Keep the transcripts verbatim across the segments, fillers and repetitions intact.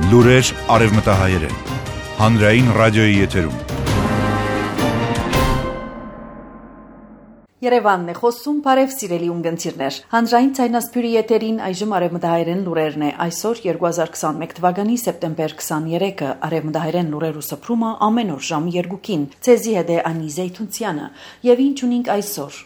Լուրեր արևմտահայերեն, հանրային ռադիոյի եթերում։ Երևանն է խոսում, բարև սիրելի ունգընտիրներ։ Հանրային ցայնասփյուրի եթերին այժմ արևմտահայերեն լուրերն է։ Այսօր երկու հազար քսաներկու թվականի սեպտեմբեր քսաներեքը արևմտահայերեն լուրեր ու սփռումը ամեն օր ժամը երկուքին։ Ցեզի հետ է Անի Զեյթունցյանը։ Եվ ինչ ունենք այսօր։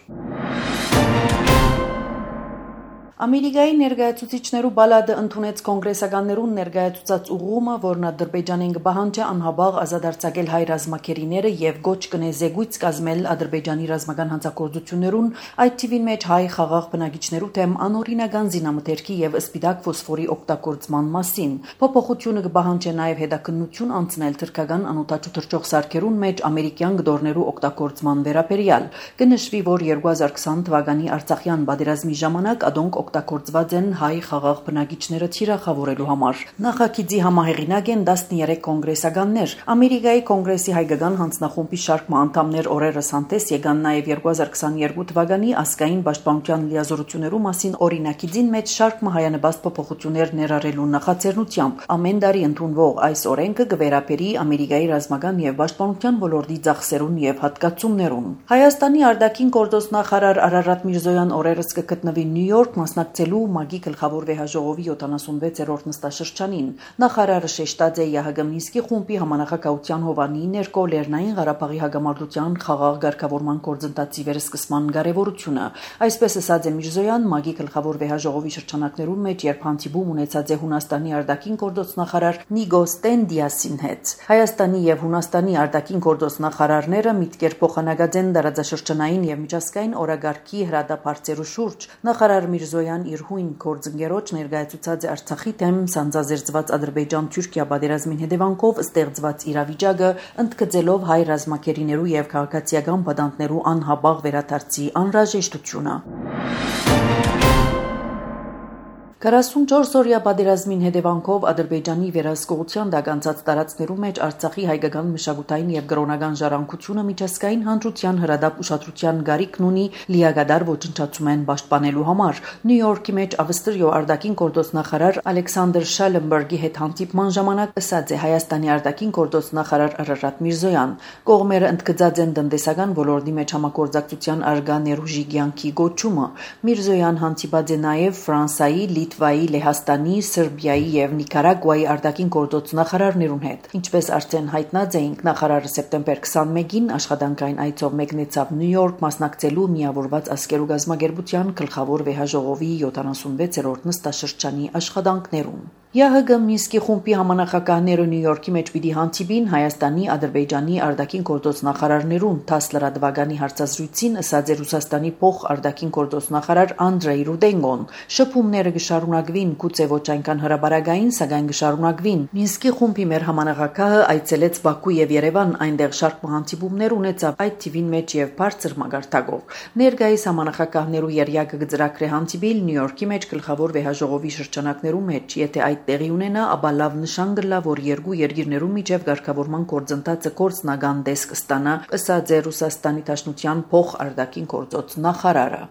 Ամերիկայի ներկայացուցիչներու բալադը ընդունեց կոնգրեսականներուն ներկայացուցած ուղղումը, որն Ադրբեջանին կպահանջի անհաբաղ ազատարձակել հայ ռազմակերիները եւ գոչ կնե զեկույց կազմել Ադրբեջանի ռազմական հանցագործություններուն, այդ թիվին մեջ հայ խաղաղ բնակիչներու թեմ անօրինական զինամթերքի եւ սպիտակ ֆոսֆորի օգտագործման մասին։ Փոփոխությունը կպահանջի նաեւ հետաքննություն անցնել թրքական անօթաչու թռչող սարքերուն մեջ ամերիկյան գդորներու օգտագործման վերաբերյալ։ Կնշվի, որ երկու հազար քսան թվականի Արցախյան պատերազմի ժամանակ ադոնք օգտագործված են հայ խաղաղ բնակիչները թիրախավորելու համար։ Նախագիծի համահեղինակ են տասներեք կոնգրեսականներ։ Ամերիկայի կոնգրեսի հայկական հանձնախումբի շարք անդամներ օրերս հանդես եկան նաև երկու հազար քսաներկու թվականի ազգային պաշտպանության լիազորություններու մասին օրինակիցին մեջ շարք հայանպաստ փոփոխություններ ներառելու նախաձեռնությամբ։ Ամեն տարի ընդունվող այս օրենքը կվերապերի Ամերիկայի ռազմական եւ պաշտպանության ոլորտի ծախսերուն եւ հատկացումներուն։ Հայաստանի արտաքին գործոստ նախարար Արարատ Միրզոյան օրերս կգտնվի Նյու Յորք մասնակցելու ՄԱԳ-ի գլխավոր վեհաժողովի յոթանասունվեցերորդ նստաշրջանին։ Նախարարը շեշտած է ԵԱՀԿ Մինսկի խումբի համանախագահության հովանի ներկո Լեռնային Ղարաբաղի հագամարտության խաղաղ ղեկավարման գործընթացի վերսկսման կարևորությունը։ Այսպես ասած է Միրզոյան ՄԱԳ-ի գլխավոր վեհաժողովի շրջանակներում մեջ, երբ հանդիպում ունեցած է Հունաստանի արտաքին գործոստ նախարար Նիգոս Տենդիասին հետ։ Հայաստանի եւ Հունաստանի արտաքին գործոստ նախարարները միտքեր փոխանակած են տարածաշրջանային եւ միջազգային օրագարկի հրադադարերու շուրջ։ Նախարար Միրզոյան իր հույն գործընկերոջ ներկայացուցած է Արցախի թեմ սանձազերծված Ադրբեջան-Թուրքիա պատերազմին հետևանքով ստեղծված իրավիճակը, ընդգծելով հայ ռազմակերիներու եւ քաղաքացիական պատանդներու անհաբաղ վերադարձի անհրաժեշտությունը։ քառասունչորս օրյա պատերազմին հետևանքով Ադրբեջանի վերահսկողության տակ անցած տարածքներու մեջ Արցախի հայկական մշակութային եւ կրոնական ժառանգությունը միջազգային հանրության հրադապ ուշադրության գարիքն ունի լիակատար ոչնչացումեն պաշտպանելու համար։ Նյու Յորքի մեջ Ավստրիո արտաքին գործոստ նախարար Ալեքսանդր Շալենբերգի հետ հանդիպման ժամանակ ասաց է Հայաստանի արտաքին գործոստ նախարար Արարատ Միրզոյան։ Կողմերը ընդգծած են տնտեսական ոլորտի մեջ համագործակցության արգա ներուժի կյանքի գոչումը։ Միրզոյան հանդիպած է նաեւ Ֆրանսայի, Լիտվայի, Լեհաստանի, Սերբիայի եւ Նիկարագուայի արտաքին գործոստ նախարարներուն հետ։ Ինչպես արդեն հայտնած էինք, նախարարը սեպտեմբեր քսաներկուին աշխատանքային այցով մեկնեցավ Նյու Յորք մասնակցելու միավորված ազգերու գազագերբության գլխավոր վեհաժողովի յոթանասունվեցերորդ նստաշրջանի աշխատանքներուն։ ԵԱՀԿ Մինսկի խումբի համանախագահները Նյու Յորքի մեջ պիտի հանդիպին Հայաստանի, Ադրբեջանի արտաքին գործոստ նախարարներուն։ Տասը լրատվականի հարցազրույցին ասաց է Ռուսաստանի փոխ արտաքին գործոստ նախարար Անդրեյ Ռուդենգոն։ Շփումները կշարունակվին, գուցե ոչ այնքան հրաբարակային, սակայն կշարունակվին։ Մինսկի խումբի մեր համանախագահը այցելեց Բաքու եւ Երևան, այնտեղ շարք հանդիպումներ ունեցավ, այդ թիվին մեջ եւ բարձր մագարտակով։ Ներկայիս համանախագահներու երյակը կծրագրե հանդիպիլ Նյու Յորքի մեջ գլխավոր վեհաժողովի շրջանակներու մեջ, եթե այդ տեղի ունենա, ապա լավ նշան կլա, որ երկու երկիրներու միջև ղեկավարման գործընթացը գործնական տեսք ստանա, ըսած է Ռուսաստանի Դաշնության փոխ արտաքին գործոստ նախարարը։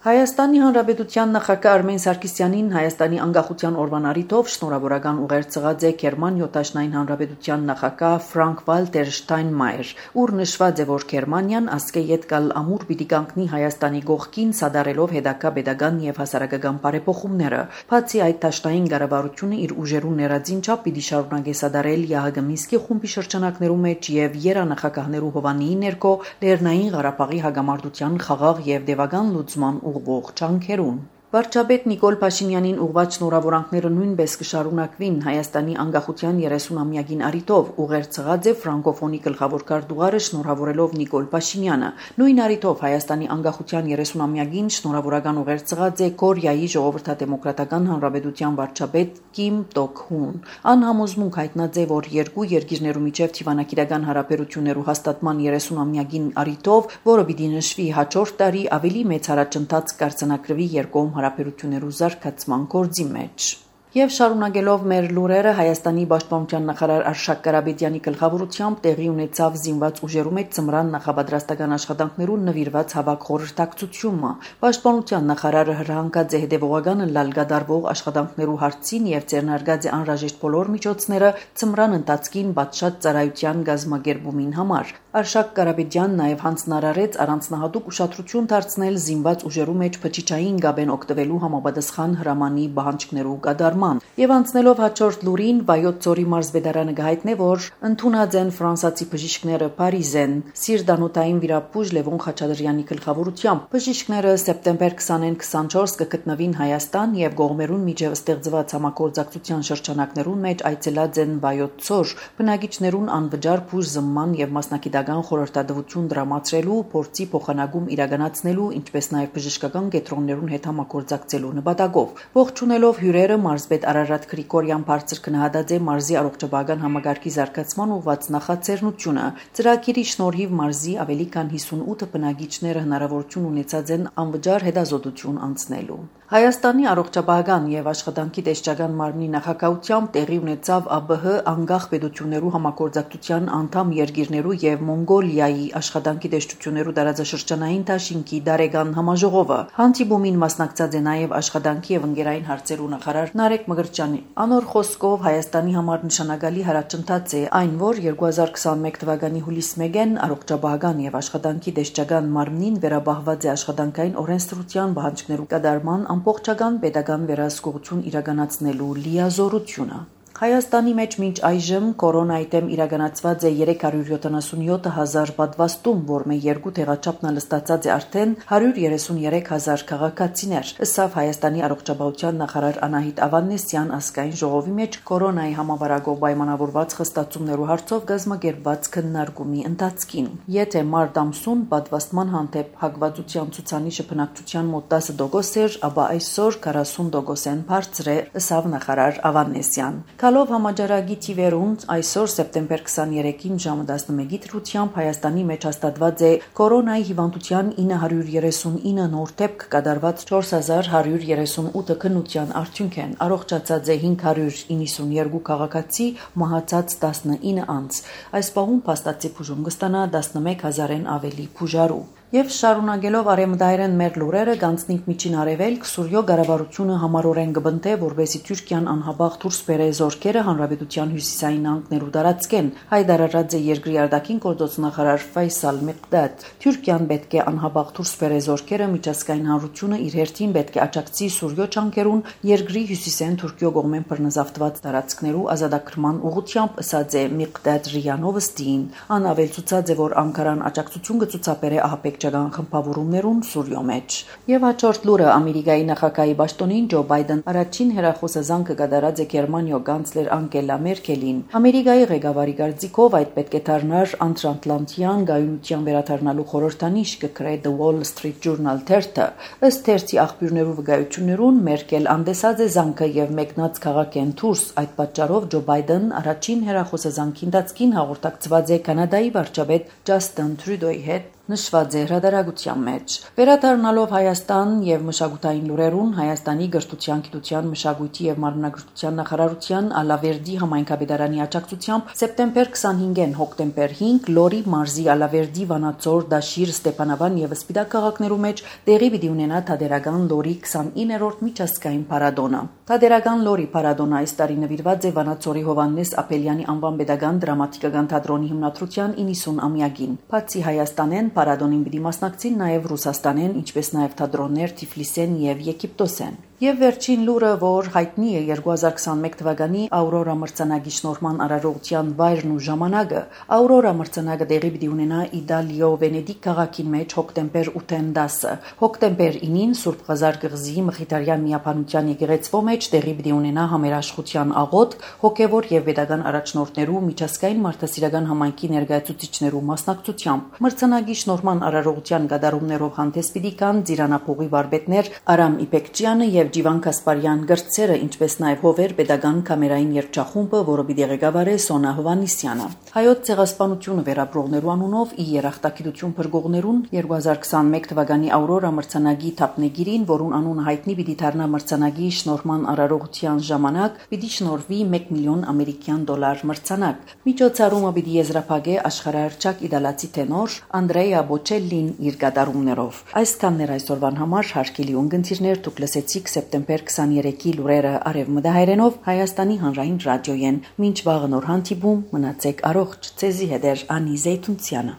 Հայաստանի Հանրապետության նախագահ Արմեն Սարգսյանին Հայաստանի անկախության օրվան առիթով շնորհավորական ուղեր ցղած է Գերմանիա Դաշնային Հանրապետության նախագահ Ֆրանկ Վալտեր Շտայնմայեր, ուր նշված է, որ Գերմանիան ասկե ետկալ ամուր պիտի կանգնի Հայաստանի գողքին սադարելով հետագա pedagogan եւ հասարակական բարեփոխումները։ Բացի այդ, Դաշնային կառավարությունը իր ուժերու ներածին չափ պիտի շարունակի սադարել ԵԱՀԿ Մինսկի խումբի շրջանակներու մեջ եւ երանախագահներու հովանի ներկո Լեռնային Ղարաբաղի հագամարտության խաղաղ եւ դեպական լուծման ուղղող ճանքերուն։ Վարչապետ Նիկոլ Փաշինյանին ուղղված շնորհավորանքները նույնպես կշարունակվին Հայաստանի անկախության երեսունամյակին առիթով ուղեր ցղած է ֆրանկոֆոնի գլխավոր քարտուղարը շնորհավորելով Նիկոլ Փաշինյանը։ Նույն առիթով Հայաստանի անկախության երեսունամյակին շնորհավորական ուղեր ցղած է Կորեայի ժողովրդադեմոկրատական հանրապետության վարչապետ Կիմ Տոկ Հուն։ Անհամոզմունք հայտնած է, որ երկու երկիրներու միջև թիվանակիրական հարաբերություններու հաստատման երեսունամյակին առիթով, որը պիտի նշվի հաջորդ տարի, ավելի մեծ հարաճընթաց կարձանակրվի երկկողմ հարաբերություններու զարգացման գործի մեջ։ Եվ շարունակելով մեր լուրերը, Հայաստանի պաշտպանության նախարար Արշակ Կարապետյանի գլխավորությամբ տեղի ունեցավ զինված ուժերու մեջ ծմրան նախապատրաստական աշխատանքներուն նվիրված հավաք խորհրդակցությունը։ Պաշտպանության նախարարը հրահանգած է հետևողականը լալ գդարվող աշխատանքներու հարցին եւ ձեռնարկած է անհրաժեշտ բոլոր միջոցները ծմրան ընթացքին բացշատ ծառայության գազմագերբումին համար։ Արշակ Կարապետյանն նաև հանձնարարեց առանձնահատուկ ուշադրություն դարձնել զինված ուժերու մեջ փչիչային գաբեն օգտվելու համապատասխան հրամանի պահանջներու կատարման։ Եվ անցնելով հաջորդ լուրին, Վայոց ձորի մարզպետարանը գահիտնե, որ ընդունած են ֆրանսացի բժիշկները Փարիզեն Սիրդանոթային վիրապուժ Լևոն Խաչատրյանի գլխավորությամբ։ Բժիշկները սեպտեմբեր քսանին քսանչորս կգտնվին Հայաստան եւ գողմերուն միջև ստեղծված համագործակցության շրջանակներուն մեջ այցելած են Վայոց ձոր բնակիչներուն անվճար բուժ զմման եւ մասնակիտական խորհրդատվություն դրամացրելու, փորձի փոխանակում իրականացնելու, ինչպես նաեւ բժշկական կենտրոններուն հետ համագործակցելու նպատակով։ Ողջունելով հյուրերը մարզպետ Արարատ Գրիգորյան բարձր քննադատած է մարզի առողջապահական համագարկի զարգացման ուղղված նախաձեռնությունը։ Ծրագիրի շնորհիվ մարզի ավելի քան հիսունութ բնակիչները հնարավորություն ունեցած են անվճար հետազոտություն անցնելու։ Հայաստանի առողջապահական եւ աշխատանքի տեսչական մարմնի նախագահությամբ տեղի ունեցավ ԱԲՀ անկախ պետություններու համագործակցության անդամ երկիրներու եւ Մոնգոլիայի աշխատանքի տեսչություններու տարածաշրջանային դաշինքի դարեգան համաժողովը։ Հանդիպումին մասնակցած է նաեւ աշխատանքի եւ ընկերային հարցերու նախարար Նարեկ Մկրտչյանի։ Անոր խոսքով Հայաստանի համար նշանակալի հարաճընթաց է այն, որ երկու հազար քսանմեկ թվականի հուլիսի մեկին առողջապահական եւ աշխատանքի տեսչական մարմնին վերաբահված է աշխատանքային օրենսդրության պահանջներու կատարման ամբողջական պետական վերահսկողություն իրականացնելու լիազորությունը։ Հայաստանի մեջ մինչ այժմ կորոնայի դեմ իրականացված է երեք հարյուր յոթանասունյոթ հազար պատվաստում, որմե երկու տեղաչափն լստացած է արդեն հարյուր երեսունյերեք հազար քաղաքացիներ։ Ըստ Հայաստանի առողջապահության նախարար Անահիտ Ավանեսյան ազգային ժողովի մեջ կորոնայի համավարակով պայմանավորված խստացումներու հարցով գազմագերբված քննարկումի ընթացքին։ Եթե մարտ ամսուն պատվաստման հանդեպ հակվածության ցուցանիշը բնակչության մոտ տասը տոկոս էր, ապա այսօր քառասուն տոկոսեն բարձր է, ըստ նախարար Ավանեսյան։ Քալով համաճարակի թիվերուն այսօր սեպտեմբեր քսաներեքին ժամը տասնմեկի դրությամբ Հայաստանի մեջ հաստատված է կորոնայի հիվանդության ինը հարյուր երեսունինը նոր դեպք կատարված չորս հազար հարյուր երեսունութ քննության արդյունքեն առողջացած է հինգ հարյուր իննսունյերկու քաղաքացի, մահացած տասնինը անց։ Այս պահում փաստացի բուժում կստանա տասնմեկ հազարեն ավելի բուժարու։ Եվ շարունակելով արեմդայրեն մեր լուրերը գանցնիկ միջին արևելք Սուրյո գարավարությունը համառորեն կբնտե, որբեսի Թուրքիան անհաբաղ դուրս բերե զորքերը հանրապետության հյուսիսային անկներու տարածքեն։ Հայտարարած է երկրի արտաքին գործոստնախարար Ֆայսալ Միկդադ։ Թուրքիան պետք է անհաբաղ դուրս բերե զորքերը միջազգային հանրությունը իր հերթին պետք է աջակցի Սուրյո ճանկերուն երկրի հյուսիսեն Թուրքիո կողմեն բռնազավթված տարածքներու ազատագրման ուղղությամբ, ըսած է Միկդադ Ռիանովստին։ Ան ավելցուցած է, որ Անկարան աջակցություն կցուցաբերե ահապեկչական խմբավորումներուն Սուրյո մեջ։ Եվ հաջորդ լուրը Ամերիկայի նախագահի պաշտոնին Ջո Բայդեն առաջին հերախոսազանգը կատարած է Գերմանիո կանցլեր Անգելա Մերկելին։ Ամերիկայի ղեկավարի կարծիքով այդ պետք է դառնար անտրանտլանտյան գայունության վերադառնալու խորհրդանիշ, կգրե The Wall Street Journal թերթը։ Ըստ թերթի աղբյուրներու վկայություններուն Մերկել անդեսած է զանգը եւ մեկնած քաղաքեն դուրս։ Այդ պատճառով Ջո Բայդեն առաջին հերախոսազանգի ընթացքին հաղորդակցված է Կանադայի վարչապետ Ջաստին Տրյուդոյի հետ նշված է հրադարագության մեջ։ Վերադառնալով Հայաստան եւ մշակութային լուրերուն, Հայաստանի գրթության, գիտության, մշակույթի եւ մարմնագրության նախարարության Ալավերդի համայնքապետարանի աջակցությամբ սեպտեմբեր քսանհինգին հոկտեմբեր հինգ Լորի մարզի Ալավերդի, Վանաձոր, Դաշիր, Ստեփանավան եւ Սպիտակ քաղաքներու մեջ տեղի պիտի ունենա Թադերական Լորի քսանիններորդ միջազգային փառատոնը։ Թադերական Լորի փառատոնը այս տարի նվիրված է Վանաձորի Հովհաննես Ապելյանի անվան պետական դրամատիկական թատրոնի հիմնադրության իննսուն-ամյակին։ Բացի Հայաստանեն Փառատոնին պիտի մասնակցին նաև Ռուսաստանեն, ինչպես նաև թատրոններ Թիֆլիսեն եւ Եգիպտոսեն։ Եվ վերջին լուրը, որ հայտնի է երկու հազար քսանմեկ թվականի Աուրորա մրցանակի շնորհման արարողության վայրն ու ժամանակը, Աուրորա մրցանակը տեղի պիտի ունենա Իտալիո Վենեդիկ քաղաքի մեջ հոկտեմբեր ութին դասը։ Հոկտեմբեր ինին Սուրբ Ղազար կղզի Մխիթարյան միապանության եկեղեցվո մեջ տեղի պիտի ունենա համերաշխության աղոթք, հոգևոր եւ պետական առաջնորդներու միջազգային մարդասիրական համայնքի ներկայացուցիչներու մասնակցությամբ։ Մրցանակի շնորհման արարողության գդարումներով հանդես պիտի կան Ձիրանափողի վարպետներ Արամ Իպեկչյանը եւ եւ Ջիվան Կասպարյան գրծերը, ինչպես նաեւ Հովեր pedagogan կամերային երգչախումբը, որը պիտի ղեկավարի Սոնա Հովանիսյանը։ Հայոց ցեղասպանությունը վերապրողներու անունով ի երախտագիտություն փրկողներուն երկու հազար քսանմեկ թվականի Աուրորա մրցանակի թափնեգիրին, որուն անունը հայտնի պիտի դառնա մրցանակի շնորհման արարողության ժամանակ, պիտի շնորհվի մեկ միլիոն ամերիկյան դոլար մրցանակ։ Միջոցառումը պիտի եզրափակե աշխարհահռչակ իտալացի տենոր Անդրեա Բոչելլին իր գդարումներով։ Այսքաններ այսօրվան համար հարգելի ունգընտիրներ, դուք լսեցիք սեպտեմբեր քսաներեքի լուրերը արևմտահայերենով Հայաստանի հանրային ռադիոյեն։ Մինչ վաղը նոր հանդիպում, մնացեք առողջ, ցեզի հետ Անի Զեյթունցյանը։